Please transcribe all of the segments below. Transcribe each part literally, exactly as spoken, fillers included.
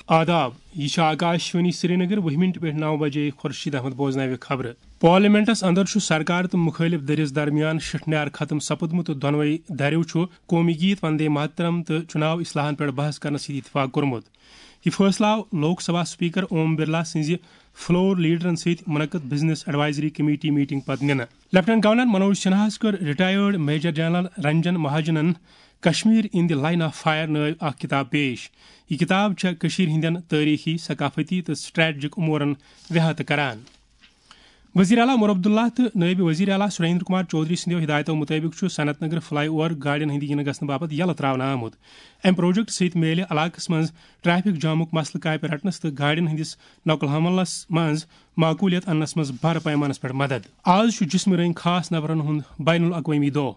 آداب، یہ چھِ آکاشوانی سرینگر، وُہ منٹ پٮ۪ٹھ نو بجے خورشید احمد بوزناوِ خبرٕ۔ پارلیمنٹس اندر چھُ سرکار تہٕ مُخٲلِف دٔرِس درمیان شِٹھنیار ختم سپُدمُت تہٕ دۄنوَے دھرٮ۪و چھُ قومی گیت وندے ماترم تہٕ چُناو اصلاحن پٮ۪ٹھ بحث کرنس سۭتۍ اتفاق کوٚرمُت۔ یہِ فٲصلہٕ آو لوک سبھا سپیکر اوم برلا سٕنٛزِ فلور لیڈرن سۭتۍ منعقد بزنس ایڈوائزری کمیٹی میٹنگ پتہٕ نِنہٕ۔ لیفٹیننٹ گورنر منوج سنہاہس کٔر ریٹائرڈ میجر جنرل رنجن مہاجنن Kashmir in the line of fire نٲوۍ اکھ کتاب پیش۔ یہِ کتاب چھےٚ کٔشیٖرِ ہٕنٛدٮ۪ن تٲریٖخی، ثقافتی تہٕ سٹریٹجک امورن ویہاتہٕ کران۔ وزیر اعلیٰ عمر عبداللہ تہٕ نائب وزیر اعلیٰ سریندر کمار چودھری سٕنٛدیو ہدایتو مُطٲبِق چھُ صنعت نگر فلائی اوور گاڑٮ۪ن ہٕنٛدِ یِنہٕ گژھنہٕ باپتھ یَلہٕ ترٛاونہٕ آمُت۔ امہِ پروجیکٹ سۭتۍ میلہِ علاقس منٛز ٹریفک جامُک مسلہٕ کاپہِ رٹنس تہٕ گاڑٮ۪ن ہٕنٛدِس نقل حملس منٛز معقولیت اننس منٛز بڑٕ پیمانس پٮ۪ٹھ مدد۔ آز چھُ جسمہٕ رنگۍ خاص نفرن ہُنٛد بین الاقوٲمی دۄہ۔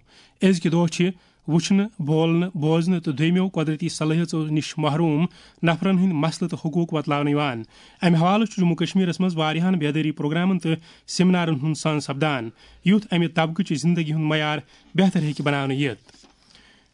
أزکہِ دۄہ چھِ وٕچھنہٕ، بولنہٕ، بوزنہٕ تہٕ دوٚیمٮ۪و قۄدرٔتی صلٲحیژو نِش محروم نفرن ہٕنٛدۍ مسلہٕ تہٕ حقوٗق وۄتلاونہٕ یِوان۔ امہِ حوالہٕ چھُ جموں کشمیرس منٛز واریاہن بیدٲری پروگرامن تہٕ سیمینارن ہُنٛد سان سپدان، یُتھ امہِ طبقہٕ چہِ زندگی ہُنٛد معیار بہتر ہیٚکہِ بناونہٕ یِتھ۔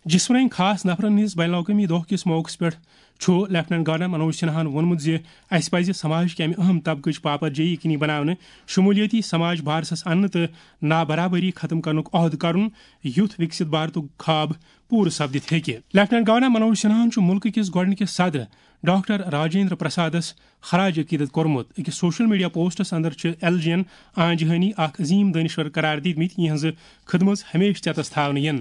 جسمہٕ رنگۍ خاص نفرن ہٕنٛدِس بین الاقوٲمی دۄہ کِس موقعس پٮ۪ٹھ چھُ لیفٹیننٹ گورنر منوج سنہاہن ووٚنمُت زِ اسہِ پزِ سماج کہِ امہِ اہم طبقٕچ پاپرجٲیی یقینی بناونہٕ، شمولیتی سماج بارسس اننہٕ تہٕ نابرابری ختم کرنُک عہد کرُن، یُتھ وکست بھارتُک خواب پوٗرٕ سپدِتھ ہیٚکہِ۔ لیفٹیننٹ گورنر منوج سنہاہن چھُ مُلکہٕ کِس گۄڈٕنِکِس صدر ڈاکٹر راجیندر پرسادس خراج عقیدت کوٚرمُت۔ أکِس سوشل میڈیا پوسٹس اندر چھِ ایل جی ین آنجہانی اکھ عظیم دٲنِشور قرار دِتمٕتۍ، یِہنٛز خدمژ ہمیشہٕ چیتس تھاونہٕ یِن۔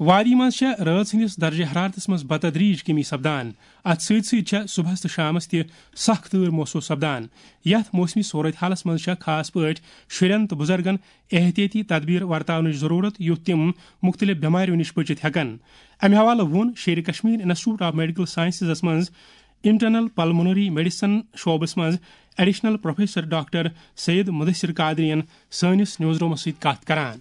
وادی منٛز چھےٚ رٲژ ہٕنٛدِس درجہ حرارتس منٛز بتدریج کمی سپدان۔ اتھ سۭتۍ سۭتۍ چھےٚ صبحس تہٕ شامس تہِ سخت تۭر محسوس سپدان۔ یتھ موسمی صورت حالس منٛز چھےٚ خاص پٲٹھۍ شُرٮ۪ن تہٕ بُزرگن احتیاطی تدبیر ورتاونٕچ ضروٗرت، یُتھ تِم مُختٔلِف بٮ۪ماریو نِش بٔچِتھ ہٮ۪کن۔ امہِ حوالہٕ ووٚن Sher-e Kashmir institute of medical سائنسزس منٛز انٹرنل پلمونری میڈیسن شعبس منٛز additional professor doctor Syed Mudassir Qadri ین سٲنِس نیوز رومس سۭتۍ کتھ کران۔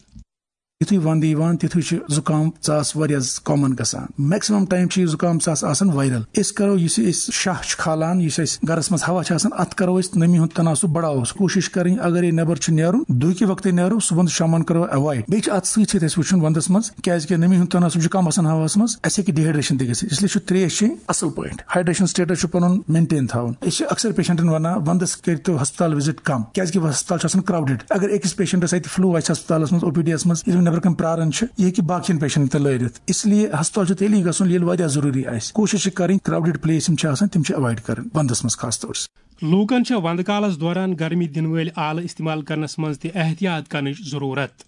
یُتھُے وَندٕ یِوان، تِتھُے چھُ زُکام ژاس واریاہ کامن گژھان۔ میکسِمم ٹایم چھُ یہِ زُکام ژاس آسان وائرل۔ أسۍ کرو، یُس یہِ أسۍ شاہ چھُ کھالان، یُس اَسہِ گرس منٛز ہوا چھُ آسان، اَتھ کرو أسۍ نمی ہُنٛد تناسب بڑاوو۔ کوٗشِش کرٕنۍ، اگر یہِ نٮ۪بر چھُ نیرُن، دُہکہِ وقتہٕ نیرو، صُبحن تہٕ شامن کرو ایوائڈ۔ بیٚیہِ چھُ اَتھ سۭتۍ سۭتۍ اَسہِ وٕچھُن، وَندس منٛز کیازِ کہِ نمی ہُنٛد تناسب چھُ کم آسان ہواہَس منٛز، اَسہِ ہیٚکہِ ڈیہائیڈریشن تہِ گٔژھِتھ۔ اس لیے چھُ ترٛیش چیٚنۍ اَصٕل پٲٹھۍ۔ ہائیڈریشن سٹیٹس چھُ پنُن مینٹین تھاوُن۔ أسۍ چھِ اکثر پیشنٹن ونان، وندس کٔرتو ہسپتال وزٹ کم، کیازِ کہِ ہسپتال چھُ آسان کراؤڈڈ۔ اگر أکِس پیشنٹس اتہِ فلو آسہِ ہسپتالس منٛز، او پی ڈی یس منٛز، ییٚلہِ نٮ۪برٕ کنہِ پراران چھِ، یہِ ہیٚکہِ باقین پیشنٹن تہِ لٲرِتھ۔ اس لیے ہسپتال چھُ تیٚلی گژھُن، ییٚلہِ واریاہ ضروٗری آسہِ۔ کوٗشش چھِ کرٕنۍ، کراؤڈڈ پلیس یِم چھِ آسان، تِم چھِ ایوائڈ کرٕنۍ وندس منٛز خاص طور سے۔ لوٗکن چھےٚ وندٕ کالس دوران گرمی دِنہٕ وٲلۍ آلہٕ استعمال کرنس منٛز تہِ احتیاط کرنٕچ ضروٗرت۔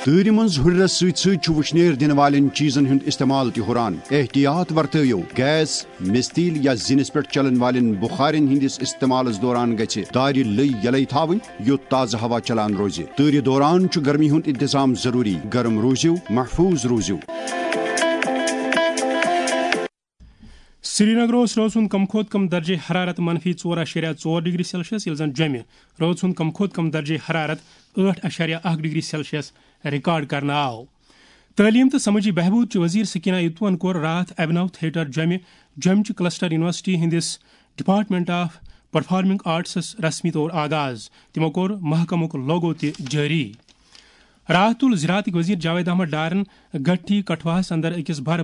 تۭرِ منٛز ہُرٮ۪رس سۭتۍ سۭتۍ چھُ وُشنیر دِنہٕ والٮ۪ن چیٖزن ہُنٛد استعمال تہِ ہُران۔ احتیاط ورتٲوِو۔ گیس، مِستیٖل یا زِنِس پٮ۪ٹھ چلن والٮ۪ن بُخارٮ۪ن ہٕنٛدِس استعمالس دوران گژھِ دارِ لٔے یلے تھاوٕنۍ، یُتھ تازٕ ہوا چلان روزِ۔ تۭرِ دوران چھُ گرمی ہُنٛد انتظام ضروٗری۔ گرم روٗزِو، محفوٗظ روٗزِو۔ سرینگر اوس رٲژ ہُنٛد کم کھۄتہٕ کم درجہ حرارت منفی ژور اعشاریہ ژور ڈگری سیلسیس، ییٚلہِ زن جوٚمہِ رٲژ ہُنٛد کم کھۄتہٕ کم درجہ حرارت ٲٹھ اعشاریہ اکھ ڈگری سیلسیس ریکارڈ کرنہٕ آو۔ تعلیم تہٕ سمٲجی بہبود چہِ وزیر سکینہ ایتوہن کوٚر راتھ ابھنو تھیٹر جوٚمہِ، جوٚمہِ چہِ کلسٹر یونیورسٹی ہٕنٛدِس ڈپارٹمنٹ آف پرفارمنگ آرٹسس رسمی طور آغاز۔ تِمو کوٚر محکمُک لوگو تہِ جٲری۔ راتھ تُل زراعتٕکۍ وزیر جاوید احمد ڈارن گٹھی کٹھواہس اندر أکِس بھر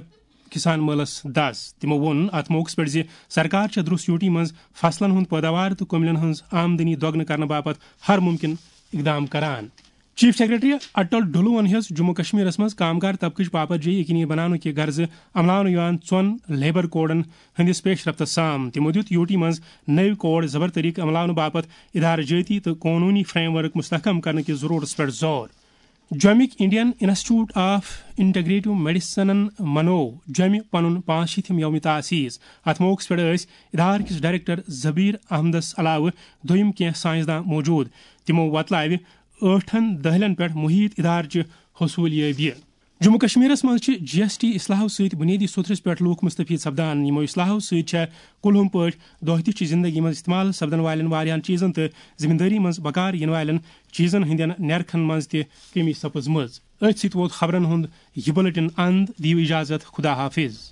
کسان مٲلس دس۔ تِمو ووٚن اتھ موقعس پٮ۪ٹھ زِ سرکار چھےٚ درٛوس یوٗ ٹی منٛز فصلن ہُنٛد پٲداوار تہٕ کٔملٮ۪ن ہٕنٛز آمدنی دۄگنہٕ کرنہٕ باپتھ ہر مُمکِن اقدام کران۔ چیف سیکرٹری اٹل ڈھلوَن ہیٚژ جموں کشمیرس منٛز کامگار طبقٕچ پاپرجٲیی یقینی بناونہٕ کہِ غرضہٕ عملاونہٕ یِوان ژۄن لیبر کوڈن ہٕنٛدِس پیش رفتس سام۔ تِمو دیُت یوٗ ٹی منٛز نٔوۍ کوڈ زبر طریقہٕ عملاونہٕ باپتھ ادارٕ جٲتی تہٕ قونوٗنی فریم ورک مستحکم کرنہٕ کِس ضروٗرتس پٮ۪ٹھ زور۔ جوٚمِکۍ انڈین انسٹیٹیوٹ آف انٹیگریٹو میڈیسنن منوو جوٚمہِ پنُن پانٛژھ شیٖتھِم یوم تاسیس۔ اتھ موقعس پٮ۪ٹھ ٲسۍ ادارٕ کِس ڈائریکٹر زبیر احمدس علاوٕ دوٚیِم کینٛہہ سائنسداں موجود۔ تِمو وۄتلاوِ ٲٹھن دٔہلٮ۪ن پٮ۪ٹھ محیط ادارٕچہِ حصوٗلیٲبی۔ جموں کشمیرس منٛز چھِ جی ایس ٹی اصلاحو سۭتۍ بنیٲدی سوٚتھرِس پٮ۪ٹھ لوٗکھ مستفید سپدان۔ یِمو اصلاحو سۭتۍ چھےٚ کُلہُم پٲٹھۍ دۄہ دِش چہِ زندگی منٛز استعمال سپدن والٮ۪ن واریاہن چیٖزن تہٕ ذمہ دٲری منٛز بکار یِنہٕ والٮ۪ن چیٖزن ہٕنٛدٮ۪ن نیرخن منٛز تہِ کمی سپٕزمٕژ۔ أتھۍ سۭتۍ ووت خبرن ہُنٛد یہِ بلیٹن اند۔ دِیِو اجازت، خدا حافظ۔